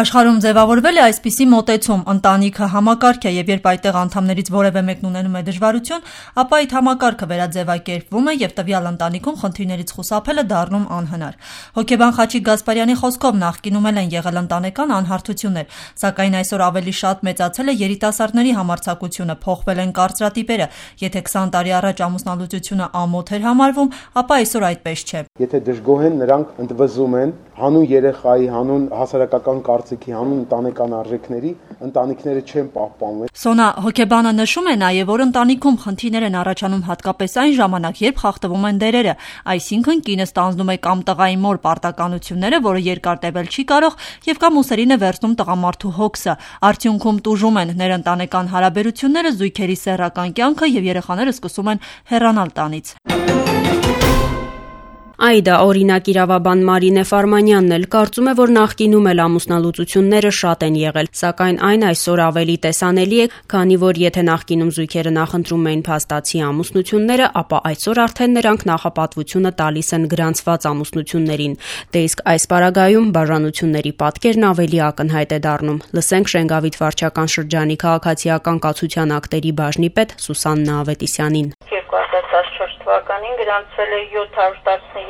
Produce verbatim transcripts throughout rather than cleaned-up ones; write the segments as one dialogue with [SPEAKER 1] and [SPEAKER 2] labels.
[SPEAKER 1] Աշխարհում ձևավորվել է այսպիսի մոտեցում՝ ընտանիքը համակարգ է, եւ երբ այդտեղ անդամներից որևէ մեկն ունենում է դժվարություն, ապա այդ համակարգը վերաձևակերպվում է եւ տվյալ ընտանիքում խնդիրներից խուսափելը դառնում անհնար։ Հոգեբան Խաչիկ Գասպարյանի խոսքով նախկինում էլ են եղել ընտանեկան անհարթություններ, սակայն այսօր ավելի շատ մեծացել է երիտասարդների համարձակությունը, փոխվել են կարծրատիպերը։ Եթե քսան տարի առաջ ամուսնալուծությունը ամոթ էր համարվում, ապա այսօր այդպես չէ։
[SPEAKER 2] Եթե դժգոհ են, նրանք ընդվզում են հանուն երեխայի, հանուն հասարակական կարծիքի, հանուն ընտանեկան արժեքների, ընտանիքները չեն պահպանվում։
[SPEAKER 1] Սոնա հոգեբանը նշում է նաև, որ ընտանիքում խնդիրներ են առաջանում հատկապես այն ժամանակ, երբ խախտվում են դերերը, այսինքն կինը ստանձնում է կամ տղայի մոր պարտականությունները, որը երկար տևել չի կարող, եւ կամ ուսերին է վերցնում տղամարդու հոգսը։ Արդյունքում տուժում են ներընտանեկան հարաբերությունները, զույգերի սեռական կյանքը եւ երեխաները սկսում են հեռանալ տանից։
[SPEAKER 3] Այդա օրինակ իրավաբան Մարինե Ֆարմանյանն էլ կարծում է, որ նախկինում էլ ամուսնալուծությունները շատ են եղել, սակայն այն այսօր ավելի տեսանելի է, քանի որ եթե նախկինում զույգերը նախընտրում էին փաստացի ամուսնությունները, ապա այսօր արդեն նրանք նախապատվությունը տալիս են գրանցված ամուսնություններին։ Դե իսկ այս պարագայում բաժանությունների պատկերն ավելի ակնհայտ է դառնում։ Լսենք Շենգավիթ վարչական շրջանի քաղաքացիական կացության ակտերի բաժնի պետ Սուսաննա Ավետիսյանին։
[SPEAKER 4] երկու հազար տասնչորս թվականին գրանցվել է յոթ հարյուր տասնյոթ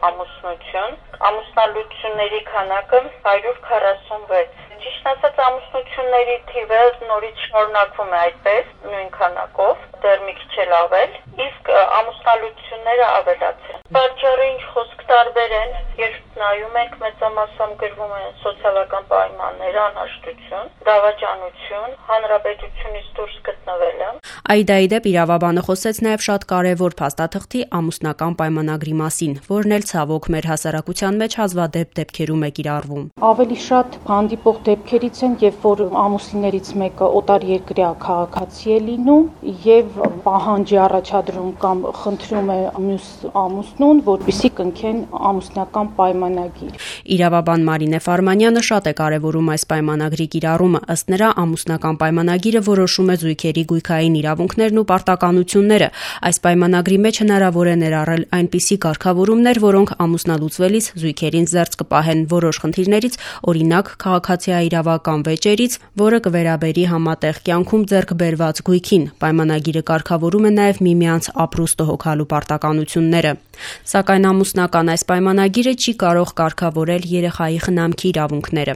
[SPEAKER 4] ամուսնություն, ամուսնալուծությունների քանակը հարյուր քառասունվեց։ Ճիշտ ասած, ամուսնությունների թիվը նորից շարունակվում է այդպես, նույն քանակով, դեռ մի քիչ էլ ավել, իսկ ամուսնալուծությունները ավելացել։ Պատճառը ինչ խոսք տարբեր են, երբ նայում ենք, մեծամասամբ գրվում են սոցիալական պայմաններ, անհաշտություն, դավաճանություն, հանրապետությունից դուրս գտնվելը։
[SPEAKER 3] Այդայի դեպ իրավաբանը խոսեց նաև շատ կարևոր փաստաթղթի ամուսնական պայմանագրի մասին, որն էլ ցավոք մեր հասարակության մեջ հազվադեպ դեպքերում է կիրառվում։
[SPEAKER 5] Ավելի շատ հանդիպող դեպքերից են, երբ որ ամուսիններից մեկը օտարերկրյա քաղաքացի է լինում եւ պահանջ է առաջադրում կամ խնդրում է մյուս ամուսնուն, որպեսզի կնքեն ամուսնական պայմանագիր։
[SPEAKER 3] Իրավաբան Մարինե Ֆարմանյանը շատ է կարևորում այս պայմանագրի կիրառումը, ըստ նրա ամուսնական պայմանագիրը որոշում է զույգերի գույքային իրավունքներն ու պարտականությունները։ Այս պայմանագրի մեջ հնարավոր է ներառել այնպիսի կարգավորումներ, որոնք ամուսնալուծվելիս զույգերին զերծ կպահեն որոշ խնդիրներից, օրինակ քաղաքացիաիրավական վեճերից, որը կվերաբերի համատեղ կյանքում ձեռք բերված գույքին։ Պայմանագիրը կարգավորում է նաև միմյանց ապրուստը հոգալու պարտականությունները։ Սակայն ամուսնական այս պայմանագիրը չի կարող կարգավորել երեխայի խնամքի իրավունքները։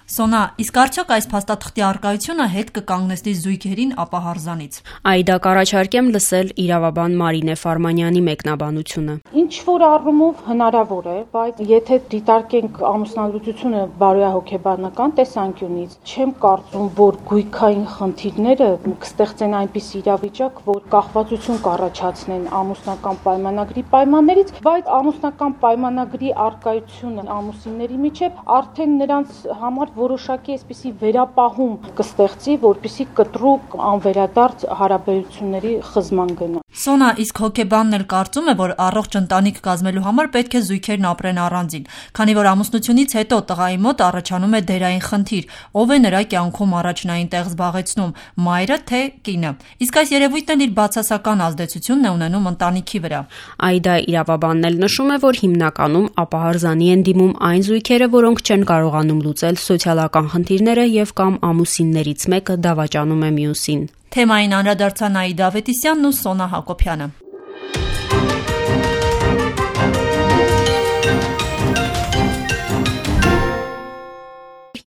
[SPEAKER 1] Սոնա, իսկ արդյոք այս փաստաթղթի առկայությունը հետ կկանգնեցնի զույգերին ապահարզանից։
[SPEAKER 3] Այդա կառաջարկեմ լսել իրավաբան Մարինե Ֆարմանյանի մեկնաբանությունը։
[SPEAKER 5] Ինչ որ առումով հնարավոր է, բայց եթե դիտարկենք ամուսնալուծությունը բարոյահոգեբանական տեսանկյունից, չեմ կարծում, որ գույքային խնդիրները կստեղծեն այնպես իրավիճակ, որ կախվածություն կառաջացնեն ամուսնական պայմանագրի պայմաններից, բայց ամուսնական պայմանագրի առկայությունը ամուսինների միջև արդեն նրանց համար որոշակի այսպիսի վերապահում կստեղծի, որպեսզի կտրուկ անվերադարձ հարաբերությունների խզման գնա։
[SPEAKER 1] Սոնա, իսկ հոգեբանն էլ կարծում է, որ առողջ ընտանիք կազմելու համար պետք է զույգերն ապրեն առանձին, քանի որ ամուսնությունից հետո տղայի մոտ առաջանում է դերային խնդիր, ով է նրա կյանքում առաջնային տեղ զբաղեցնում՝ մայրը թե կինը։ Իսկ այս երևույթն էլ իր բացասական ազդեցությունն է ունենում ընտանիքի վրա։
[SPEAKER 3] Այդա իրավաբանն էլ նշում է, որ հիմնականում ապահարզանի են դիմում այն զույգերը, որոնք չեն կարողանում լուծել սոցիալական խնդիրները եւ կամ ամուսիններից մեկը դավաճանում է մյուսին։
[SPEAKER 1] Թեմային անդրադարձան Այդա Ավետիսյանն ու Սոնա Հակոբյանը։